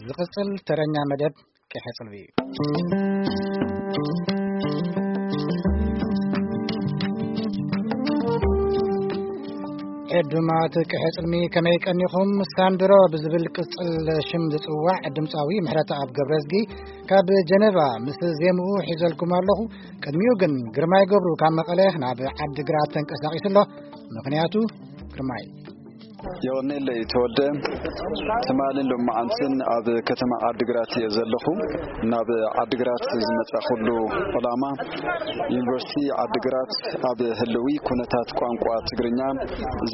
ዝቕጽል ተረኛ መደብ ቅሐ ጽልሚ እዩ። ዕዱማት ቅሐ ጽልሚ ከመይ ቀኒኹም? ሳንድሮ ብዝብል ቅጽል ሽም ዝጽዋዕ ድምጻዊ ምሕረተኣብ ገብረዝጊ ካብ ጀነቫ ምስ ዜምኡ ሒዘልኩም ኣለኹ። ቅድሚኡ ግን ግርማይ ገብሩ ካብ መቐለ ናብ ዓዲግራት ተንቀሳቒሱ ኣሎ። ምኽንያቱ ግርማይ። የቐኔለይ ተወልደ። ትማልን ሎማዓንትን ኣብ ከተማ ዓዲግራት እየ ዘለኹ። ናብ ዓዲግራት ዝመጻኹሉ ዕላማ፣ ዩኒቨርሲቲ ዓዲግራት ኣብ ህልዊ ኩነታት ቋንቋ ትግርኛ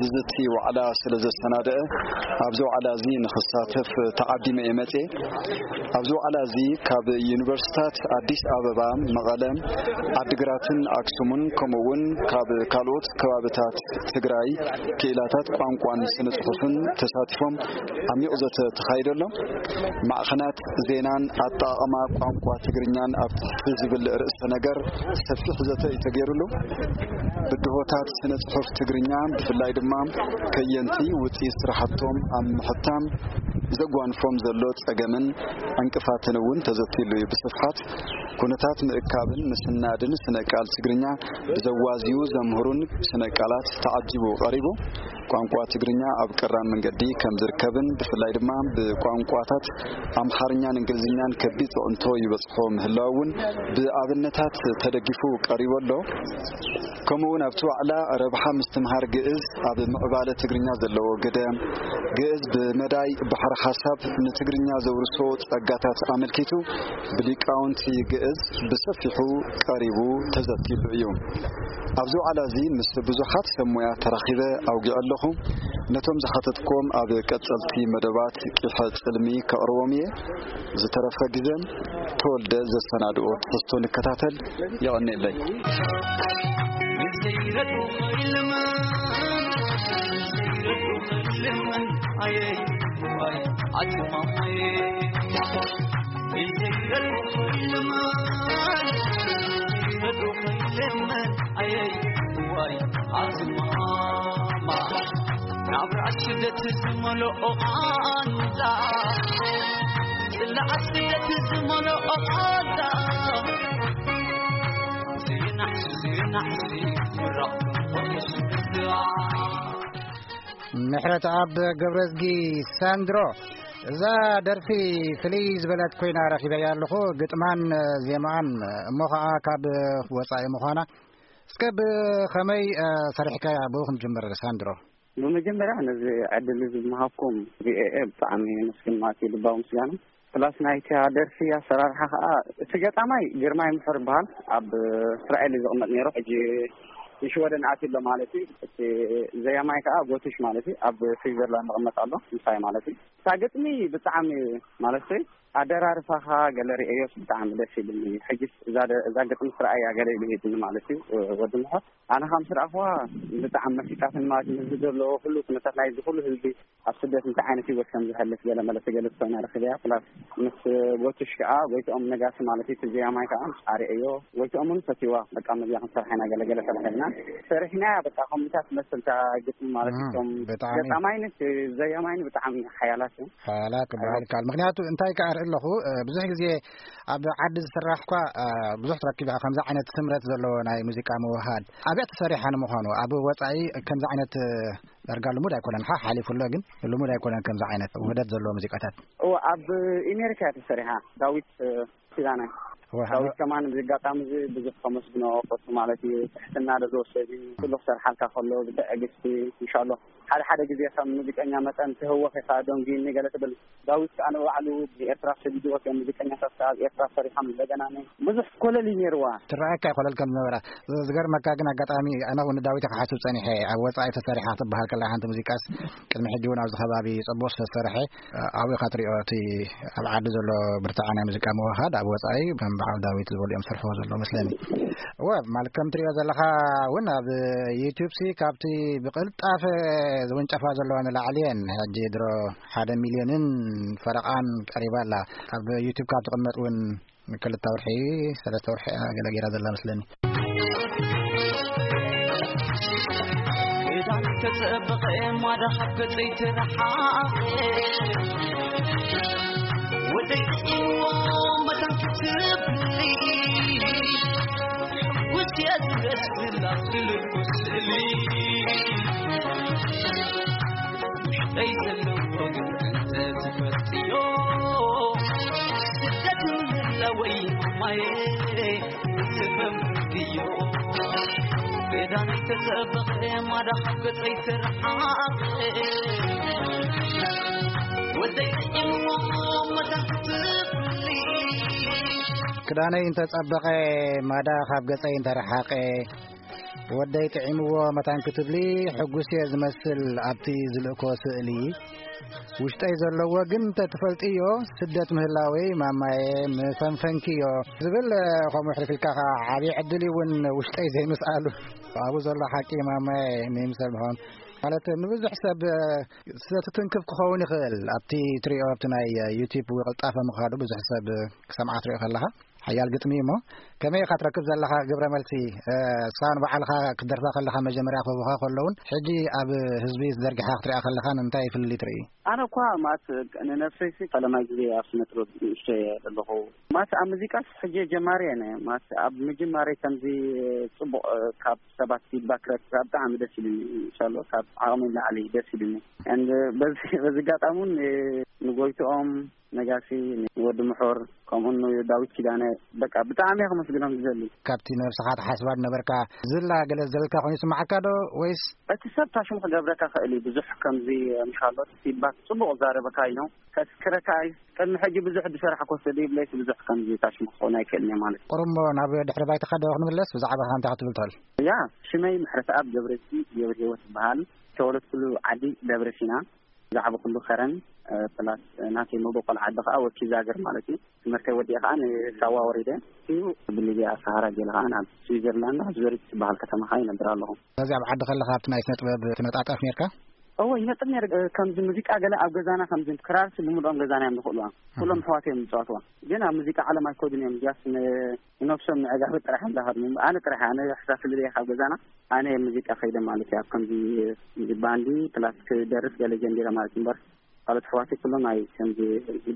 ዝዝቲ ዋዕላ ስለ ዘሰናደአ፣ ኣብዚ ዋዕላ እዚ ንኽሳተፍ ተዓዲመ እየ መጽየ። ኣብዚ ዋዕላ እዚ ካብ ዩኒቨርሲታት ኣዲስ ኣበባ፣ መቐለ፣ ዓዲግራትን ኣክሱምን፣ ከምኡ እውን ካብ ካልኦት ከባብታት ትግራይ ክኢላታት ቋንቋን ስነ ጽሑፍን ተሳቲፎም ዓሚቕ ዘተ ተኻይደሎም። ማዕኸናት ዜናን ኣጠቓቕማ ቋንቋ ትግርኛን ኣብ ትሕቲ ዝብል ርእሰ ነገር ሰፊሕ ዘተ እዩ ተገይሩሉ። ብድሆታት ስነ ጽሑፍ ትግርኛ፣ ብፍላይ ድማ ከየንቲ ውፅኢት ስራሕቶም ኣብ ምሕታም ዘጓንፎም ዘሎ ጸገምን ዕንቅፋትን እውን ተዘቲሉ እዩ። ብስፍሓት ኩነታት ምእካብን ምስናድን ስነ ቃል ትግርኛ ብዘዋዝዩ ዘምህሩን ስነ ቃላት ተዓጂቡ ቀሪቡ። ቋንቋ ትግርኛ ኣብ ቀራን መንገዲ ከም ዝርከብን ብፍላይ ድማ ብቋንቋታት ኣምሓርኛን እንግሊዝኛን ከቢድ ጽዕንቶ ይበጽሖ ምህላው እውን ብኣብነታት ተደጊፉ ቀሪቡ ኣሎ። ከምኡ እውን ኣብቲ ዋዕላ ረብሓ ምስትምሃር ግእዝ ኣብ ምዕባለ ትግርኛ ዘለዎ ግደ፣ ግእዝ ብመዳይ ባሕሪ ሓሳብ ንትግርኛ ዘውርሶ ጸጋታት ኣመልኪቱ ብሊቃውንቲ ግእዝ ብሰፊሑ ቀሪቡ ተዘቲሉ እዩ። ኣብዚ ዋዕላ እዚ ምስ ብዙሓት ሰብ ሞያ ተራኺበ ኣውጊዐ ኣለኹ። ነቶም ዝሓተትኩም ኣብ ቀጸልቲ መደባት ቂሐ ጽልሚ ከቕርቦም እየ። ዝተረፈ ግዜ ተወልደ ዘሰናድኦ ትሕዝቶ ንከታተል። የቐኔለይ። ናብራ ስደት ዝመልኦ ቓንዛ፣ ጽላኣ ስደት ዝመልኦ ቓንዛ፣ ዘይናሕሲ ዘይናሕሲ ምራቕ ምሕረት ኣብ ገብረዝጊ ሳንድሮ። እዛ ደርፊ ፍልይ ዝበለት ኮይና ረኺበያ ኣለኹ። ግጥማን ዜማኣን እሞ ኸዓ ካብ ወጻኢ ምዃና፣ እስከ ብኸመይ ሰሪሕካያ? ብኡ ክንጅምር ሳንድሮ። ብመጀመርያ ነዚ ዕድል እዚ ዝመሃብኩም ቪኦኤ ብጣዕሚ ነስግን ማለት እዩ፣ ልባዊ ምስጋና። ፕላስ ናይታ ደርፊ ኣሰራርሓ ከዓ፣ እቲ ገጣማይ ግርማይ ምሕር ይበሃል፣ ኣብ እስራኤል እዩ ዝቕመጥ ነይሩ። ሕጂ ንሽወደን ኣትዩ ኣሎ ማለት እዩ። እቲ ዘያማይ ከዓ ጎትሽ ማለት እዩ፣ ኣብ ስዊዘርላንድ ይቕመጥ ኣሎ፣ ምሳይ ማለት እዩ። እታ ግጥሚ ብጣዕሚ ማለት ኣደራርፋኻ ገለ ርእዮስ ብጣዕሚ ደስ ኢሉኒ። ሕጂስ እዛ ደ- እዛ ግጥሚ ስርኣያ ገለ ኢሉ ሂድኒ ማለት እዩ። ወዲ ምሖት ኣነ ከም ስርኣኽዋ ብጣዕሚ መሲጣትኒ ማለት እዩ። ህዝቢ ዘለዎ ኩሉ ኩነታት ናይዚ ኩሉ ህዝቢ ኣብ ስደት እንታይ ዓይነት ህይወት ከም ዝሕልፍ ገለ መለ ትገልጽ ኮይና ረኺበያ። ፕላስ ምስ ጎትሽ ከዓ ጎይትኦም ነጋሲ ማለት እዩ፣ እቲ ዘያማይ ከዓ ኣርእዮ። ጎይትኦም እውን ፈትይዋ። በቃ መዚያ ክንሰርሓ ኢና ገለ ገለ ተባሂልና ሰሪሕናያ። በቃ ከምኡታት ትመስል እታ ግጥሚ ማለት እዩ። እም፣ እቶም ብጣዕሚ። ገጣማይን እቲ ዘያማይን ብጣዕሚ ሓያላት እዮም። ሓያላት ክበሃል ይከኣል። ምኽንያቱ እንታይ ከኣ ርኢ ኣለኹ፣ እ፣ ብዙሕ ግዜ ኣብ ዓዲ ዝስራሕ እኳ፣ እ፣ ብዙሕ ትረክብ ኢኻ ከምዚ ዓይነት ስምረት ዘለዎ ናይ ሙዚቃ ምውህሃድ። ኣበይ ተሰሪሓ ንምዃኑ? ኣብ ወጻኢ ከምዚ ዓይነት፣ እ፣ ዳርጋ ልሙድ ኣይኮነን። ሓ-፣ ሓሊፉ ኣሎ፣ ግን ልሙድ ኣይኮነን ከምዚ ዓይነት ውህደት ዘለዎ ሙዚቃታት። እወ፣ ኣብ ኣሜሪካ እያ ተሰሪሓ። ዳዊት፣ እ፣ ኪዳነ። ወሃ-፣ ዳዊት ከማን ብዚ ኣጋጣሚ እዚ ብዙሕ ከመስግኖ ፈቱ ማለት እዩ። ትሕትና ዘለዎ ሰብ እዩ። ኩሉ ክሰርሓልካ ከሎ ብትዕግስቲ፣ ኢንሻሎ። ሓደ ሓደ ግዜ ከም ሙዚቀኛ መጠን ትህወኽ ኢኻ፣ ደንጉይኒ ገለ ትብል። ዳዊት ከኣ ንባዕሉ ብኤርትራ ሰዲድዎ፣ ከም ሙዚቀኛታት ከኣ ኣብ ኤርትራ ሰሪሖም እንደገና ነ-፣ ብዙሕ ኮለል እዩ ነይርዋ። ትረኣየካ እዩ ኮለል ከም ዝነበራ። ዝ-፣ ዝገርመካ ግን ኣጋጣሚ ኣነ እውን ንዳዊት ክሓስብ ጸኒሐ። ኣብ ወጻኢ ተሰሪሓ ክትበሃል ከላ ሓንቲ ሙዚቃስ ቅድሚ ሕጂ እውን ኣብዚ ከባቢ ጽቡቕ ዝተሰርሐ ኣብኡ ኢኻ ትሪኦ፣ እቲ ኣብ ዓዲ ዘሎ ብርትዓ ናይ ሙዚቃ ምውህሃድ ኣብ ወጻኢ ከም በዓል ዳዊት ዝበሉ እዮም ዝሰርሕዎ ዘለዉ መስለኒ። እወ፣ ማለት ከም ትሪኦ ዘለኻ እውን ኣብ ዩቱብ ሲ ካብቲ ብቕልጣፈ ዝውንጨፋ ዘለዋ ንላዕሊ እየን። ሕጂ ድሮ ሓደ ሚልዮንን ፈረቓን ቀሪባ ኣላ። ኣብ ዩቱብ ካብ ትቕመጥ እውን ንክልተ ወርሒ፣ ሰለስተ ወርሒ እያ ገለ ገይራ ዘላ መስለኒ። ክዳን ተጸበቐ ማዳ ካብ ገጸይ ተረሓቐ። ደስ ዝብላ ትልኩ ስእሊ ውሽጠይ ዘለዎ ግን እንተትፈልጥዮ ስደት ምህላወይ ማየ ዝፈምድዮ ቤዳነይ ተጸበቐ ማዳ ካብ ገጸይ ተረሓቐ ወደይ እሞ መታን ክትፍሊ ክዳነይ እንተጸበቐ ማዳ ካብ ገጸይ እንተረሓቐ ወደይ ጥዒምዎ መታን ክትብሊ ሕጉስ እየ ዝመስል ኣብቲ ዝልእኮ ስእሊ ውሽጠይ ዘለዎ ግን እንተትፈልጥዮ ስደት ምህላወይ ማማየ ምፈንፈንክዮ ዝብል ከምኡ ሕልፊልካ ከዓ ዓብዪ ዕድል እውን ውሽጠይ ዘይምስኣሉ ኣብኡ ዘሎ ሓቂ ማማየ ንይምሰል ምዃን ማለት ንብዙሕ ሰብ ስለ ትትንክፍ ክኸውን ይኽእል ኣብቲ ትሪኦ ኣብቲ ናይ ዩቲብ ቅልጣፈ ምኻዱ ብዙሕ ሰብ ክሰምዓ ትሪኦ ከለኻ ሓያል ግጥሚ እሞ ከመይ ኢኻ ትረክብ ዘለኻ ግብረ መልሲ እሳ ንባዕልኻ ክትደርፋ ከለኻ መጀመርያ ክህቡኻ ከለውን ሕጂ ኣብ ህዝቢ ዝዘርግሓ ክትሪኣ ከለኻ ንምንታይ ፍልልይ ትርኢ ኣነ እኳ ማለት ንነፍሰይ ሲ ፈለማይ ግዜ ኣብ ስነ ጥበብ ንእሽቶ እየ ዘለኹ ማለት ኣብ ሙዚቃ ሕጂ ጀማሪ እየ ማለት ኣብ ምጅማረይ ከምዚ ፅቡቅ ካብ ሰባት ፊድባክ ረክብ ብጣዕሚ ደስ ኢሉኒ ኢንሻሎ ካብ ዓቅመይ ንላዕሊ ደስ ኢሉኒ በዚ ኣጋጣሚ እውን ንጎይትኦም ነጋሲ፣ ወዲ ምሑር፣ ከምኡ ንዳዊት ኪዳነ በቃ ብጣዕሚ እየ ከመስግኖም ዝደሊ። ካብቲ ንነብስኻ ትሓስባ ዝነበርካ ዝላ ገለ ዝደለልካ ኮይኑ ይስምዓካ ዶ ወይስ? እቲ ሰብ ታሽሙ ክገብረካ ክእል እዩ ብዙሕ ከምዚ ምሻሎ ፊድባክ ጽቡቅ ዛረበካ እዩ ነው ከስክረካ እዩ ቅድሚ ሕጂ ብዙሕ ዝሰራሕኮ ሰብ ይብለይስ ብዙሕ ከምዚ ታሽሙ ክኸውን ኣይክእልን እየ ማለት እዩ። ቁሩብ እሞ ናብ ድሕሪ ባይታኻ ዶ ክንምለስ ብዛዕባኻ እንታይ ክትብል ትኽእል? ያ ሽመይ ምሕረተኣብ ገብረዝጊ ገብረሂወት ይበሃል። ዝተወለድኩሉ ዓዲ ደብረ ሲና። ብዛዕባ ኩሉ ከረን ፕላስ ናተይ መበቆል ዓዲ ከዓ ወኪ ዛግር ማለት እዩ። ትምህርተይ ወዲአ ከዓ ንሳዋ ወሪደ እዩ ብሊብያ ሰሃራ ገለ ከዓ ናብ ስዊዘርላንድ ኣብ ዙሪክ ትበሃል ከተማ ከዓ ይነብር ኣለኹ። ስለዚ ኣብ ዓዲ ከለካ ኣብቲ ናይ ስነ ጥበብ ትነጣጠፍ ነርካ? እወ ይነጥፍ ነረ። ከምዚ ሙዚቃ ገለ ኣብ ገዛና ከምዚ ክራርሲ ብምልኦም ገዛና እዮም ዝኽእልዋ። ኩሎም ኣሕዋት እዮም ዝፃወትዋ። ግን ኣብ ሙዚቃ ዓለም ኣይኮዱን እዮም እዚያስ ንነብሶም ምዕጋቢ ጥራሕ እዮም ዝሃድሙ። ኣነ ጥራሕ ኣነ ሕሳስልበየ ካብ ገዛና ኣነ ሙዚቃ ከይደ ማለት እዩ ኣብ ከምዚ ባንዲ ፕላስ ክደርፍ ገለ ጀሚረ ማለት እምበር ካልኦት ኣሕዋተይ ኩሎም ኣይ ከምዚ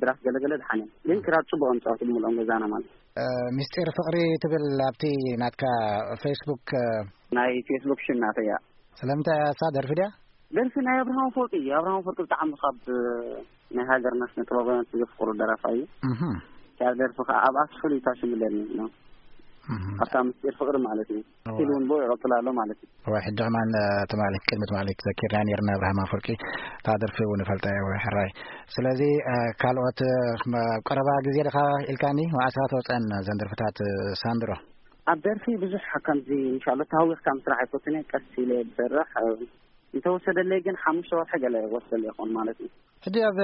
ድራፍ ገለ ገለ ደሓን እዮም ግን ክራር ፅቡቅ እዮም ዝፃወቱ ብምልኦም ገዛና ማለት እዩ። ሚስጢር ፍቅሪ ትብል ኣብቲ ናትካ ፌስቡክ ናይ ፌስቡክ ሽም ናተይ እያ። ስለምንታይ እያ እሳ ደርፊ ድያ? ደርፊ ናይ ኣብርሃም ኣፈወርቂ እዩ ኣብርሃም ኣፈወርቂ ብጣዕሚ ካብ ናይ ሃገርና ስነ ጥበባውያን ዘፍቅሮ ደራፋይ እዩ። እህ ካብ ደርፊ ከዓ ኣብኣስ ፍሉይ ታሽሙ ኣለኒ ነው ኣብታ ምስጢር ፍቅሪ ማለት እዩ። ኢሉ እውን ብኡ ይቐፅል ኣሎ ማለት እዩ። እዋ ሕጂ ከማን ትማሊ ቅድሚ ትማሊ ዘኪርና ነርና ኣብርሃም ኣፈወርቂ እታ ደርፊ እውን ይፈልጣ እየ ሕራይ። ስለዚ ካልኦት ኣብ ቀረባ ግዜ ድኻ ኢልካኒ መዓስ ኢኻ ተወፀአን ዘን ደርፍታት ሳንድሮ? ኣብ ደርፊ ብዙሕ ከምዚ እንሻሎ ተሃዊኽካ ምስራሕ ኣይፈትን እየ ቀስ ኢለ ዝሰርሕ እንተወሰደለይ ግን ሓሙሽተ ወርሒ ገለ ወስደለይ ይኸውን ማለት እዩ። ሕጂ ኣብ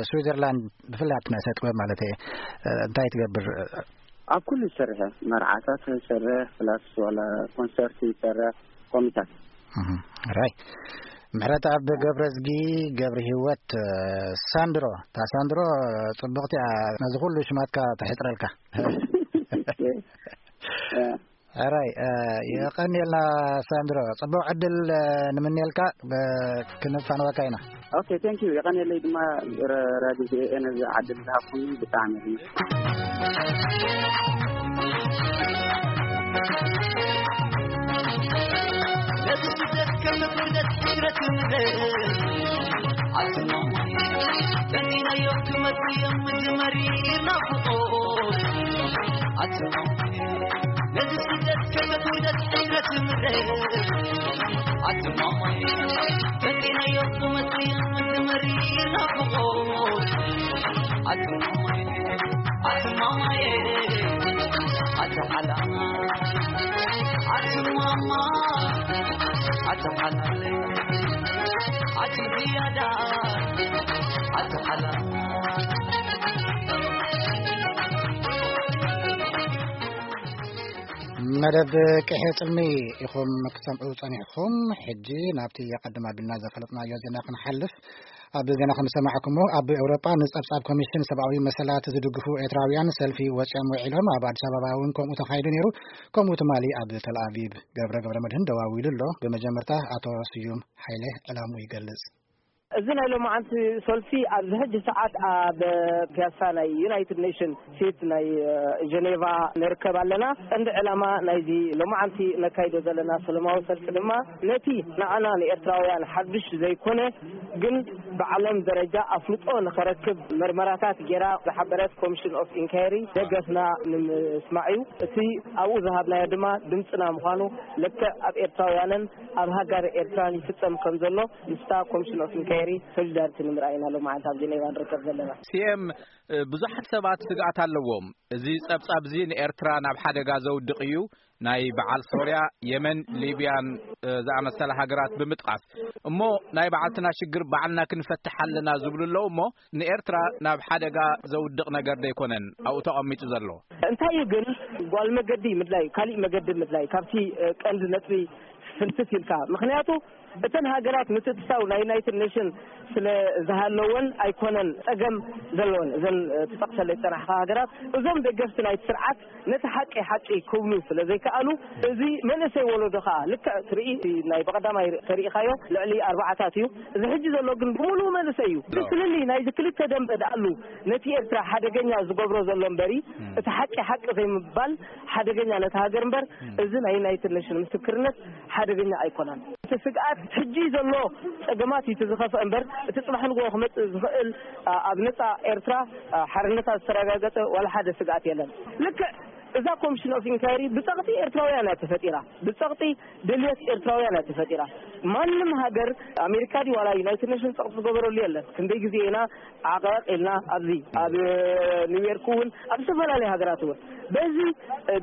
ስዊዘርላንድ ብፍላይ ኣብቲ ናይ ስነ ጥበብ ማለት እየ እንታይ ትገብር? ኣብ ኩሉ ይሰርሕ መርዓታት ይሰርሕ ፕላስ ዋላ ኮንሰርት ይሰርሕ ኮሚታት። ራይ ምሕረት ኣብ ገብረዝጊ ገብረ ህይወት ሳንድሮ እታ ሳንድሮ ጽቡቕቲ እያ ነዚ ኩሉ ሽማትካ ተሕፅረልካ። ሕራይ የቐንየልና ሳንድሮ፣ ጽቡቕ ዕድል ንምንየልካ፣ ክንፋነወካ ኢና። ኦኬ፣ ቴንክ ዩ። የቐንየለይ ድማ ራዲዮ ቪኦኤ ነዚ ዕድል ዝሃብኩምኒ ብጣዕሚ። ነዚ ስደት ከም ክብደት ሕስረት ይምለስ ኣትኖ ጠሚናዮ ክመጽእ እዮም እዚ መሪር ናፍቖት ኣትኖ ነዚ ስደት ከመት ውደት ሕስረት ምረ ኣትማማይ ተቂናዮ ክመጽእ እዚ መሪር ናፍቖት ኣትማማይ ኣትማማይ ኣትሓላ ኣትማማ ኣትሓላ ኣትዝያዳ ኣትሓላ መደብ ቅሒ ጽልሚ ኢኹም ክትሰምዑ ጸኒሕኩም። ሕጂ ናብቲ ኣቐድም ኣቢልና ዘፈለጥናዮ ዜና ክንሓልፍ። ኣብ ዜና ከም ዝሰማዕኩሞ ኣብ ኤውሮጳ ንጸብጻብ ኮሚሽን ሰብኣዊ መሰላት ዝድግፉ ኤርትራውያን ሰልፊ ወጺኦም ውዒሎም። ኣብ ኣዲስ ኣበባ እውን ከምኡ ተኻይዱ ነይሩ። ከምኡ ትማሊ ኣብ ተልኣቪቭ ገብረ ገብረ መድህን ደዋዊሉ ኣሎ። ብመጀመርታ ኣቶ ስዩም ሓይለ ዕላሙ ይገልጽ። እዚ ናይ ሎማዓንቲ ሰልፊ ኣብዚ ሕጂ ሰዓት ኣብ ፒያሳ ናይ ዩናይትድ ኔሽን ሴት ናይ ጀኔቫ ንርከብ ኣለና። ቀንዲ ዕላማ ናይዚ ሎማዓንቲ ነካይዶ ዘለና ሰለማዊ ሰልፊ ድማ ነቲ ንዓና ንኤርትራውያን ሓድሽ ዘይኮነ፣ ግን ብዓለም ደረጃ ኣፍልጦ ንኸረክብ መርመራታት ጌራ ዝሓበረት ኮሚሽን ኦፍ ኢንኳየሪ ደገፍና ንምስማዕ እዩ። እቲ ኣብኡ ዝሃብናዮ ድማ ድምፅና ምዃኑ፣ ልክዕ ኣብ ኤርትራውያንን ኣብ ሃገር ኤርትራን ይፍጸም ከም ዘሎ ምስታ ኮሚሽን ኦፍ ኢንኳየሪ ሶሊዳሪቲ ንምርኣይ ኢና ሎማዓንቲ ኣብ ጀኔቫ ንርከብ ዘለና። ሲኤም፣ ብዙሓት ሰባት ስግኣት ኣለዎም። እዚ ጸብጻብ እዚ ንኤርትራ ናብ ሓደጋ ዘውድቕ እዩ፣ ናይ በዓል ሶርያ፣ የመን፣ ሊብያን ዝኣመሰላ ሃገራት ብምጥቃስ። እሞ ናይ በዓልትና ሽግር ባዕልና ክንፈትሕ ኣለና ዝብሉ ኣለዉ። እሞ ንኤርትራ ናብ ሓደጋ ዘውድቕ ነገር ደይኮነን ኣብኡ ተቐሚጡ ዘሎ? እንታይ እዩ ግን፣ ጓል መገዲ ምድላይ፣ ካሊእ መገዲ ምድላይ ካብቲ ቀንዲ ነጥቢ ፍንትት ኢልካ። ምኽንያቱ እተን ሃገራት ምትእትታው ናይ ዩናይትድ ኔሽን ስለ ዝሃለወን ኣይኮነን ጸገም ዘለወን። እዘን ትጠቕሰለይ ዝጸናሕካ ሃገራት፣ እዞም ደገፍቲ ናይቲ ስርዓት ነቲ ሓቂ ሓቂ ክብሉ ስለ ዘይከኣሉ፣ እዚ መንእሰይ ወለዶ ከኣ ልክዕ ትርኢ፣ ናይ ብቐዳማይ ተሪኢኻዮ ልዕሊ ኣርባዓታት እዩ። እዚ ሕጂ ዘሎ ግን ብምሉኡ መንእሰይ እዩ። እቲ ፍልልይ ናይዚ ክልተ ደንበ ደኣሉ ነቲ ኤርትራ ሓደገኛ ዝገብሮ ዘሎ እምበሪ፣ እቲ ሓቂ ሓቂ ዘይምባል ሓደገኛ ነቲ ሃገር እምበር፣ እዚ ናይ ዩናይትድ ኔሽን ምስክርነት ሓደገኛ ኣይኮነን። እቲ ስግኣት ሕጂ ዘሎ ጸገማት እዩ እቲ ዝኸፍአ እምበር፣ እቲ ጽባሕ ንግሆ ክመጽእ ዝኽእል፣ ኣ፣ ኣብ ነጻ ኤርትራ፣ ኣ፣ ሓርነታ ዝተረጋገጸ ዋላ ሓደ ስግኣት የለን። ልክዕ እዛ ኮሚሽን ኦፍ ኢንኳይሪ ብጸቕጢ ኤርትራውያን እያ ተፈጢራ። ብጸቕጢ ድልየት ኤርትራውያን እያ ተፈጢራ። ማንም ሃገር፣ ኣሜሪካ ድዩ ዋላ ዩናይትድ ኔሽን ጸቕጢ ዝገበረሉ የለን። ክንደይ ግዜ ኢና ዓቐቕ ኢልና ኣብዚ ኣብ ኒውዮርክ እውን ኣብ ዝተፈላለዩ ሃገራት እውን በዚ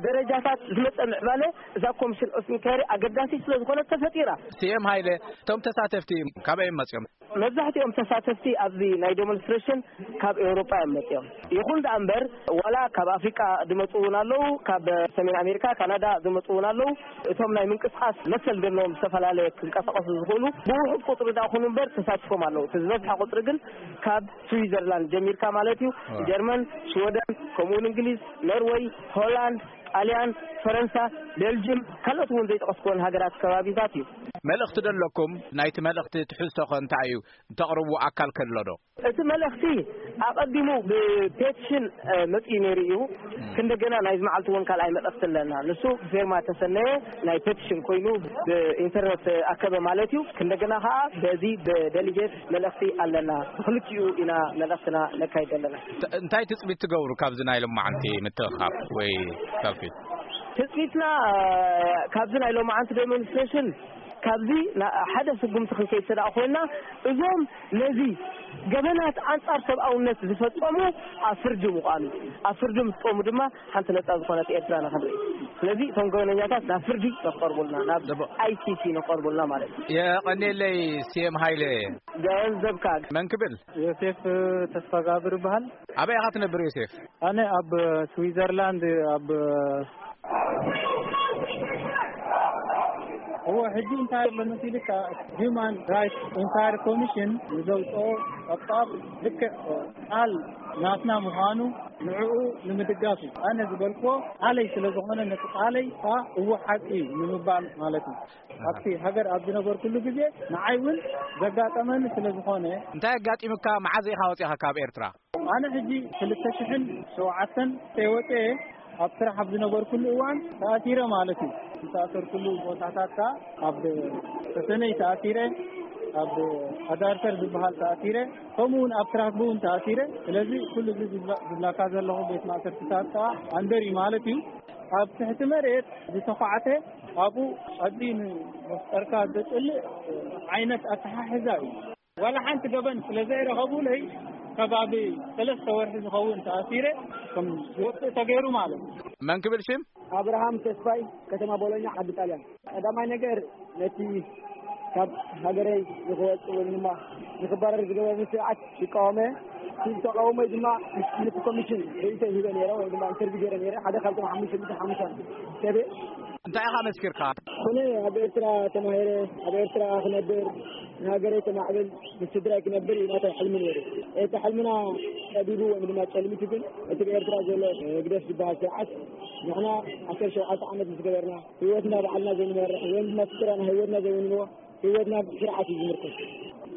ደረጃታት ዝመጸ ምዕባለ እዛ ኮሚሽን ኦፍ ኢንኳይሪ ኣገዳሲ ስለ ዝኾነ ተፈጢራ። ሲኤም ሃይለ፣ እቶም ተሳተፍቲ ካበይ እዮም መጺኦም? መብዛሕትኦም ተሳተፍቲ ኣብዚ ናይ ዴሞንስትሬሽን ካብ ኤውሮጳ እዮም መጺኦም። ይኹን ደኣ እምበር ዋላ ካብ ኣፍሪቃ ዝመጹ እውን ኣለዉ፣ ካብ ሰሜን ኣሜሪካ፣ ካናዳ ዝመጹ እውን ኣለዉ። እቶም ናይ ምንቅስቃስ መሰል ዘለዎም ዝተፈላለየ ክንቀሳቀሱ ዝኽእሉ ብውሑድ ቁጽሪ ደኣ ኩኑ እምበር ተሳቲፎም ኣለዉ። እቲ ዝበዝሐ ቁጽሪ ግን ካብ ስዊዘርላንድ ጀሚርካ ማለት እዩ፣ ጀርመን፣ ሽወደን፣ ከምኡ እውን እንግሊዝ፣ ኖርወይ፣ ሆላንድ፣ ጣልያን፣ ፈረንሳ፣ ቤልጅም፣ ካልኦት እውን ዘይጠቀስኩወን ሃገራት ከባቢታት እዩ። መልእኽቲ ዶ ኣለኩም? ናይቲ መልእኽቲ ትሕዝቶ ኸ እንታይ እዩ? እንተቕርቡ ኣካል ከሎ ዶ? እቲ መልእኽቲ ኣቐዲሙ ብፔቲሽን፣ እ፣ መጺኡ ነይሩ እዩ። ክንደገና ናይዚ መዓልቲ እውን ካልኣይ መልእኽቲ ኣለና። ንሱ ብፌርማ ተሰነየ ናይ ፔቲሽን ኮይኑ ብኢንተርነት ኣከበ ማለት እዩ። ክንደገና ከኣ በዚ ብደሊጌት መልእኽቲ ኣለና። ብክልቲኡ ኢና መልእኽትና ነካይድ ኣለና። ተ-፣ እንታይ ትጽቢት ትገብሩ ካብዚ ናይ ሎማዓንቲ ምትእኻብ ወይ ሰልፊ? ትጽቢትና፣ እ፣ ካብዚ ናይ ሎማዓንቲ ዴሞንስትሬሽን ካብዚ ና-፣ ሓደ ስጉምቲ ክንከይድ ስለ ደኣ ኮይና፣ እዞም ነዚ ገበናት ኣንጻር ሰብኣውነት ዝፈጸሙ ኣብ ፍርዲ ምዃኑ፣ ኣብ ፍርዲ ምስ ቆሙ ድማ ሓንቲ ነጻ ዝኾነት ኤርትራ ንኽንርኢ። ስለዚ እቶም ገበነኛታት ናብ ፍርዲ ንኽቐርቡልና፣ ናብ ደቦ- ኣይ ሲ ሲ ንኽቐርቡልና ማለት እዩ። የቐኔለይ ሲኤም ሃይለ። ገንዘብካ። መን ክብል? ዮሴፍ ተስፋጋብር ይበሃል። ኣበይ ኢኻ ትነብር ዮሴፍ? ኣነ ኣብ ስዊዘርላንድ ኣብ እዎ፣ ሕጂ እንታይ ኣሎ መሲልካ፣ ሂውማን ራይትስ ኢንኳየሪ ኮሚሽን ንዘውፅኦ ጸብጻብ ልክዕ ቃል ናትና ምዃኑ ንዕኡ ንምድጋፍ እዩ። ኣነ ዝበልክዎ ቃለይ ስለ ዝኾነ ነቲ ቃለይ ከዓ እዎ ሓቂ እዩ ንምባል ማለት እዩ። ኣብቲ ሃገር ኣብ ዝነበርኩሉ ግዜ ንዓይ እውን ዘጋጠመኒ ስለ ዝኾነ። እንታይ ኣጋጢሙካ? መዓዝ ኢኻ ወፂኻ ካብ ኤርትራ? ኣነ ሕጂ ክልተ ሽሕን ሸውዓተን ወፀ ኣብ ስራሕ ኣብ ዝነበርኩሉ እዋን ተኣሲረ ማለት እዩ። ዝተኣሰርኩሉ ቦታታት ከዓ ኣብ ሰሰነይ ተኣሲረ፣ ኣብ ኣዳርተር ዝበሃል ተኣሲረ፣ ከምኡ እውን ኣብ ትራክቡ እውን ተኣሲረ። ስለዚ ኩሉ እዚ ዝብላ-፣ ዝብላካ ዘለኹ ቤት ማእሰርትታት ከዓ ኣንደር እዩ ማለት እዩ። ኣብ ትሕቲ መሬት ዝተኳዕተ ኣብኡ ቀዲ ንመፍጠርካ ዘፅልእ ዓይነት ኣተሓሕዛ እዩ። ዋላ ሓንቲ ገበን ስለ ዘይረኸቡለይ ከባቢ ሰለስተ ወርሒ ዝኸውን ተኣሲረ ከም ዝወፅእ ተገይሩ ማለት እዩ። መን ክብል ሽም? ኣብርሃም ተስፋይ፣ ከተማ ቦሎኛ፣ ዓዲ ጣልያን። ቀዳማይ ነገር ነቲ ካብ ሃገረይ ንክወፅእ ወይ ድማ ንክባረር ዝገበረኒ ስርዓት ይቃወመ። እቲ ተቃውሞይ ድማ ምስ ነቲ ኮሚሽን ርእይቶ ሂበ ነይረ ወይ ድማ ኢንተርቪው ገይረ ነይረ። ሓደ ካብቶም ሓሙሽተ ሚእቲ ሓሙሽተ ሰብ እየ። እንታይ ኢኻ መስኪርካ? ኣነ ኣብ ኤርትራ ተማሂረ፣ ኣብ ኤርትራ ክነብር፣ ንሃገረይ ከማዕብል፣ ምስ ስድራይ ክነብር እዩ ናተይ ሕልሚ ነይሩ። እቲ ሕልምና ጠቢቡ ወይ ድማ ጨልሚቱ ግን እቲ ብኤርትራ ዘሎ ህግደፍ ዝበሃል ስርዓት ንሕና ዓሰርተ ሸውዓተ ዓመት ምስ ገበርና ህይወትና ባዕልና ዘይንመርሕ ወይ ድማ ስድራና ህይወትና ዘይውንንዎ ህይወትና ስርዓት እዩ ዝምርኮስ።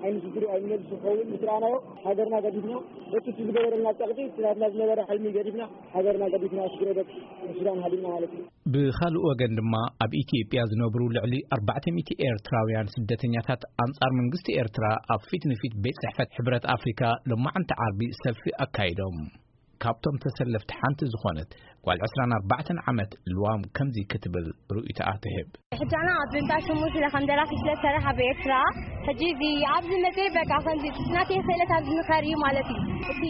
ኣይንስድሩ ኣይንመልሱ ክኸውን ምስ ረኣናዮ፣ ሃገርና ገዲፍና፣ በቲ እቲ ዝገበረልና ጸቕጢ፣ እቲ ናትና ዝነበረ ሕልሚ ገዲፍና፣ ሃገርና ገዲፍና፣ ስድሮ ደቂ ሱዳን ሃዲምና ማለት እዩ። ብኻልእ ወገን ድማ፣ ኣብ ኢትዮጵያ ዝነብሩ ልዕሊ ኣርባዕተ ሚእቲ ኤርትራውያን ስደተኛታት ኣንጻር መንግስቲ ኤርትራ ኣብ ፊት ንፊት ቤት ጽሕፈት ሕብረት ኣፍሪካ ሎማዕንቲ ዓርቢ ሰልፊ ኣካይዶም። ካብቶም ተሰለፍቲ ሓንቲ ዝኾነት ጓል ዕስራን ኣርባዕተን ዓመት ልዋም ከምዚ ክትብል ርእይቶኣ ትህብ። ሕጃና ኣብ እንዳ ሽሙ ስለ ከም ደራሲ ስለ ዝሰርሕ ኣብ ኤርትራ፣ ሕጂ እዚ ኣብዚ መፅእ በቃ ከምዚ ናተይ ክእለት ኣብዚ ንኸር እዩ ማለት እዩ። እቲ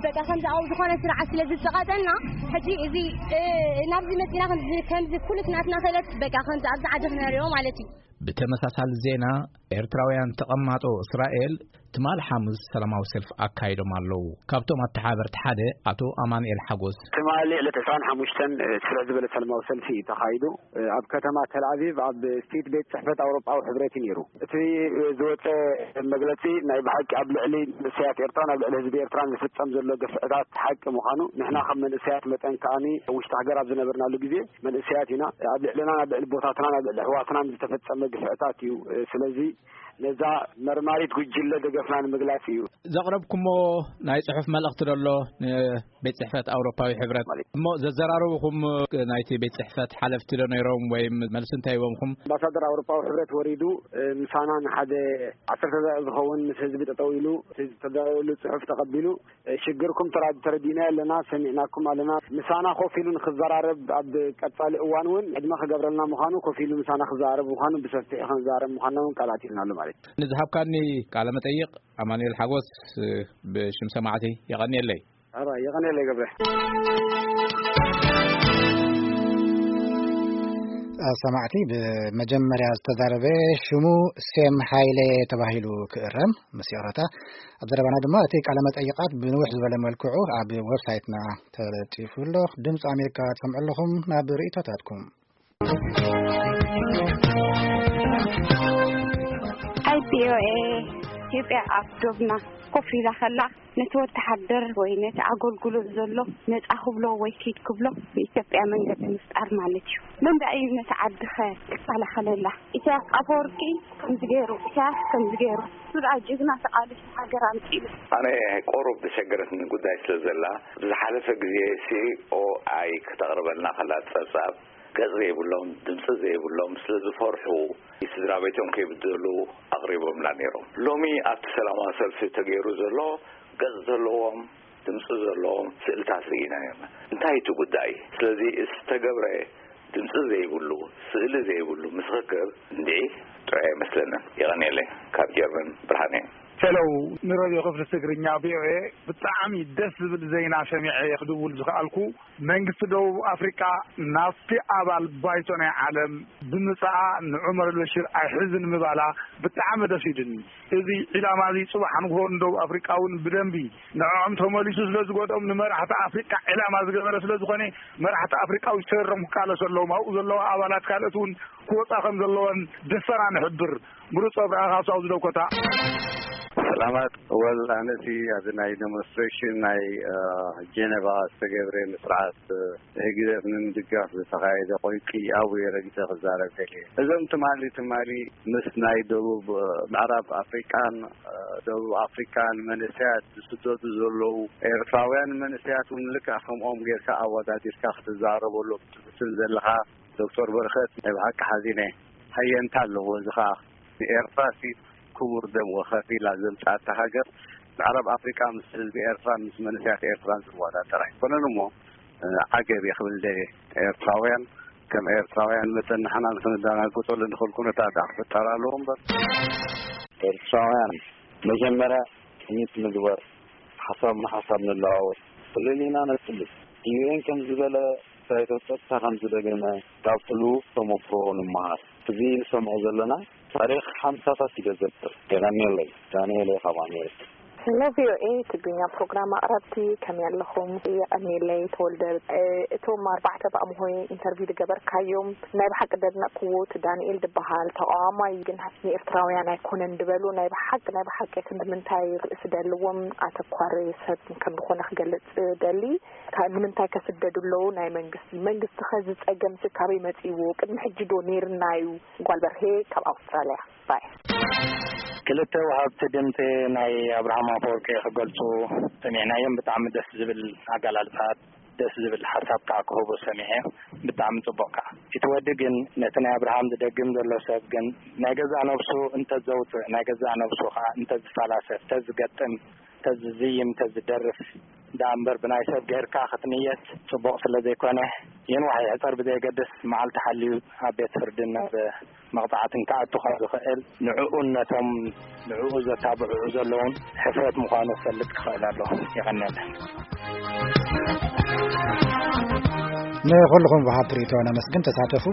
በቃ ከምዚ ኣብ ዝኾነ ስርዓት ስለ ዝፀቃጠና፣ ሕጂ እዚ ናብዚ መፂና ከምዚ ኩልት ናትና ክእለት በቃ ከምዚ ኣብዚ ዓዲ ክነሪኦ ማለት እዩ። ብተመሳሳሊ ዜና፣ ኤርትራውያን ተቐማጦ እስራኤል ትማል ሓሙስ ሰላማዊ ሰልፊ ኣካይዶም ኣለዉ። ካብቶም ኣተሓበርቲ ሓደ ኣቶ ኣማኑኤል ሓጎስ። ትማሊ ዕለት ዕስራን ሓሙሽተን ስፍሕ ዝበለ ሰላማዊ ሰልፊ እዩ ተኻይዱ። ኣብ ከተማ ተልኣቪቭ ኣብ ፊት ቤት ጽሕፈት ኣውሮጳዊ ሕብረት እዩ ነይሩ። እቲ ዝወጸ መግለጺ ናይ ብሓቂ ኣብ ልዕሊ መንእሰያት ኤርትራን ኣብ ልዕሊ ህዝቢ ኤርትራን ዝፍጸም ዘሎ ግፍዕታት ሓቂ ምዃኑ፣ ንሕና ከም መንእሰያት መጠን ከኣኒ ውሽጢ ሃገር ኣብ ዝነበርናሉ ግዜ መንእሰያት ኢና። ኣብ ልዕልና፣ ኣብ ልዕሊ ቦታትና፣ ኣብ ልዕሊ ኣሕዋትናን ዝተፈጸመ ግፍዕታት እዩ። ስለዚ ነዛ መርማሪት ጉጅለ ደገፍና ንምግላጽ እዩ። ዘቕረብኩሞ ናይ ጽሑፍ መልእኽቲ ደሎ ንቤት ጽሕፈት ኣውሮፓዊ ሕብረት ማለት እሞ ዘዘራረብኹም ናይቲ ቤት ጽሕፈት ሓለፍቲ ዶ ነይሮም ወይ መልሲ እንታይ ሂቦምኹም? ኣምባሳደር ኣውሮፓዊ ሕብረት ወሪዱ፣ እ፣ ምሳና ንሓደ ዓሰርተ ደቂቕ ዝኸውን ምስ ህዝቢ ጠጠው ኢሉ፣ እቲ ዝተዳለወሉ ጽሑፍ ተቐቢሉ፣ እ፣ ሽግርኩም ተራ-፣ ተረዲእናዮ ኣለና፣ ሰሚዕናኩም ኣለና። ምሳና ኮፍ ኢሉ ንክዘራረብ ኣብ ቀጻሊ እዋን እውን ዕድመ ክገብረልና ምዃኑ፣ ኮፍ ኢሉ ምሳና ክዘራረብ ምዃኑ፣ ብሰፊሑ ክንዘራረብ ምዃንና እውን ቃል ኣቲልናሉ ማለት እዩ። ንዝሃብካኒ ቃለ መጠይቕ ኣማኑኤል ሓጎስ፣ እ፣ ብሽም ሰማዕቲ የቐንየለይ። ሕራይ፣ የቐንየለይ ገብረ። ሰማዕቲ፣ ብመጀመርያ ዝተዛረበ ሽሙ ሴም ሃይለ ተባሂሉ ክእረም፣ ምስ ይቕረታ። ኣብ ዘረባና ድማ እቲ ቃለ መጠይቓት ብንውሕ ዝበለ መልክዑ ኣብ ዌብሳይትና ተለጢፉ ኣሎ። ድምፂ ኣሜሪካ ትሰምዑ ኣለኹም። ናብ ርእይቶታትኩም። ኣይ ቪ ኦ ኤ፣ ኢትዮጵያ ኣብ ዶብና ኮፍ ኢላ ከላ፣ ነቲ ወተሃደር ወይ ነቲ ኣገልግሎት ዘሎ ነጻ ክብሎ ወይ ኪድ ክብሎ፣ ብኢትዮጵያ መንገዲ ምፍጣር ማለት እዩ። መን ደኣ እዩ ነቲ ዓድኸ ክከላኸለላ? ኢሳያስ ኣፈወርቂ ከምዚ ገይሩ፣ ኢሳያስ ከምዚ ገይሩ፣ እሱ ደኣ ጅግና ተቓሊሱ ሃገር ኣምጺኡ። ኣነ ቁሩብ ዘሸገረትኒ ጉዳይ ስለ ዘላ፣ ብዝሓለፈ ግዜ ሲ ኦ ኣይ ከተቕርበልና ከላ ጸብጻብ፣ ገጽ ዘይብሎም፣ ድምጺ ዘይብሎም፣ ስለ ዝፈርሑ፣ ስድራ ቤቶም ከይብደሉ ኣቕሪቦምላ ነይሮም። ሎሚ ኣብቲ ሰላማዊ ሰልፊ ተገይሩ ዘሎ፣ ገጽ ዘለዎም፣ ድምጺ ዘለዎም ስእልታት ርኢና ነርና። እንታይ እቲ ጉዳይ? ስለዚ ዝተገብረ ድምጺ ዘይብሉ፣ ስእሊ ዘይብሉ ምስኽር እንድዒ ጥዑይ ኣይመስለንን። የቐንየለይ። ካብ ጀርመን ብርሃነ። ሄሎ፣ ንረድዮ ክፍሊ ትግርኛ ቪ ኦ ኤ ብጣዕሚ ደስ ዝብል ዜና ሰሚዐ እየ ክድውል ዝኸኣልኩ። መንግስቲ ደቡብ ኣፍሪቃ ናብቲ ኣባል ባይቶ ናይ ዓለም ብምጽኣ ንዑመር ኣልበሽር ኣይሕዝን ምባላ ብጣዕሚ ደስ ኢሉኒ። እዚ ዒላማ እዚ ጽባሕ ንግሆ ንደቡብ ኣፍሪቃ እውን ብደንቢ ንዕኦም ተመሊሱ ስለ ዝጎድኦም ንመራሕቲ ኣፍሪቃ ዒላማ ዝገበረ ስለ ዝኾነ መራሕቲ ኣፍሪቃ ውሽተሮም ክቃለሱ ኣለዎም። ኣብኡ ዘለዋ ኣባላት ካልኦት እውን ክወጻ ከም ዘለወን ደሰና ንሕብር። ምሩጽ ኣብርሃ ካብ ሳውዝ ዳኮታ። ሰላማት። ወል ኣነሲ ኣብዚ ናይ ዴሞንስትሬሽን ናይ፣ እ፣ ጀነቫ ዝተገብረ ንስርዓት፣ እ፣ ህግደፍ ንምድጋፍ ዝተኻየደ ቆይቂ ኣብኡ እየ ረጊጸ ክዛረብ ደልየ። እዞም ትማሊ፣ ትማሊ ምስ ናይ ደቡብ፣ እ፣ ምዕራብ ኣፍሪቃን፣ እ፣ ደቡብ ኣፍሪቃን መንእሰያት ዝስደዱ ዘለዉ ኤርትራውያን መንእሰያት እውን ልክዕ ከምኦም ጌርካ ኣወዳዲርካ ክትዛረበሎም ትፍትን ዘለኻ ዶክተር በረኸት ናይ ብሓቂ ሓዚነ። ሃየንታ ኣለዎ። እዚ ኸኣ ንኤርትራ ሲ ክቡር ደም ወኸፊላ ዘምጽኣታ ሃገር ምዕራብ ኣፍሪቃ ምስ ህዝቢ ኤርትራን ምስ መንእሰያት ኤርትራን ዝወዳደር ኣይኮነን እሞ፣ እ፣ ዓገብ እየ ክብል ደልየ። ኤርትራውያን ከም ኤርትራውያን መጠን ንሕና ንኽንደናገጸሉ ንኽእል ኩነታት ደኣ ክፍጠር ኣለዎ እምበር። ኤርትራውያን መጀመርያ ቅኒት ምግበር፣ ሓሳብ ንሓሳብ ንለዋወጥ፣ ጽልል ኢና ነጽልል። ዩ ኤን ከም ዝበለ፣ ባይቶ ጸጥታ ከም ዝደገመ፣ ካብቲ ልዉኽ ተመክሮ ንምሃር። እዚ ንሰምዖ ዘለና ታሪኽ ሓምሳታት እዩ ዘዘክር። የቐንየለይ። ዳንኤል እየ ካብ ኣሜሪካ። ሄሎ ቪ ኦ ኤ ትግርኛ ፕሮግራም ኣቕረብቲ፣ ከመይ ኣለኹም? የቐንየለይ ተወልደ። እ፣ እቶም ኣርባዕተ ብኣምሆይ ኢንተርቪው ዝገበርካዮም ናይ ብሓቂ ደድነቕክዎ። እቲ ዳንኤል ዝበሃል ተቓዋማይ ግን ንኤርትራውያን ኣይኮነን ዝበሉ ናይ ብሓቂ፣ ናይ ብሓቂ ክንዲ ምንታይ ርእሲ ደልዎም ኣተኳሪ ሰብ ከም ዝኾነ ክገልጽ ደሊ። ካ-፣ ንምንታይ ከስደዱ ኣለዉ? ናይ መንግስቲ፣ መንግስቲ ኸ ዝጸገም ሲ ካበይ መጺእዎ? ቅድሚ ሕጂ ዶ ኔርና እዩ? ጓል በርሄ ካብ ኣውስትራልያ። ባይ። ክልተ ወሃብቲ ድምፂ ናይ ኣብርሃም ኣፈወርቂ ክገልፁ ሰሚዕናዮም። ብጣዕሚ ደስ ዝብል ኣገላልፃ፣ ደስ ዝብል ሓሳብ ከዓ ክህቡ ሰሚዐ። ብጣዕሚ ፅቡቅ ከዓ። እቲ ወዲ ግን ነቲ ናይ ኣብርሃም ዝደግም ዘሎ ሰብ ግን ናይ ገዛእ ነብሱ እንተዘውፅእ፣ ናይ ገዛእ ነብሱ ከዓ እንተዝፈላሰፍ፣ እንተዝገጥም፣ እንተዝዝይም፣ እንተዝደርፍ ደኣ እምበር ብናይ ሰብ ገይርካ ክትንየት ፅቡቅ ስለ ዘይኮነ፣ ይንዋሕ ይሕፀር ብዘየገድስ መዓልቲ ሓልዩ ኣብ ቤት ፍርድን ናብ መቕፃዕትን ክኣቱ ካብ ዝኽእል ንዕኡን ነቶም ንዕኡ ዘታብዕዑ ዘለውን ሕፍረት ምዃኑ ክፈልጥ ክኽእል ኣሎ። የቐንየለን። ንኹልኹም ወሃብቲ ርእይቶ ነመስግን። ተሳተፉ።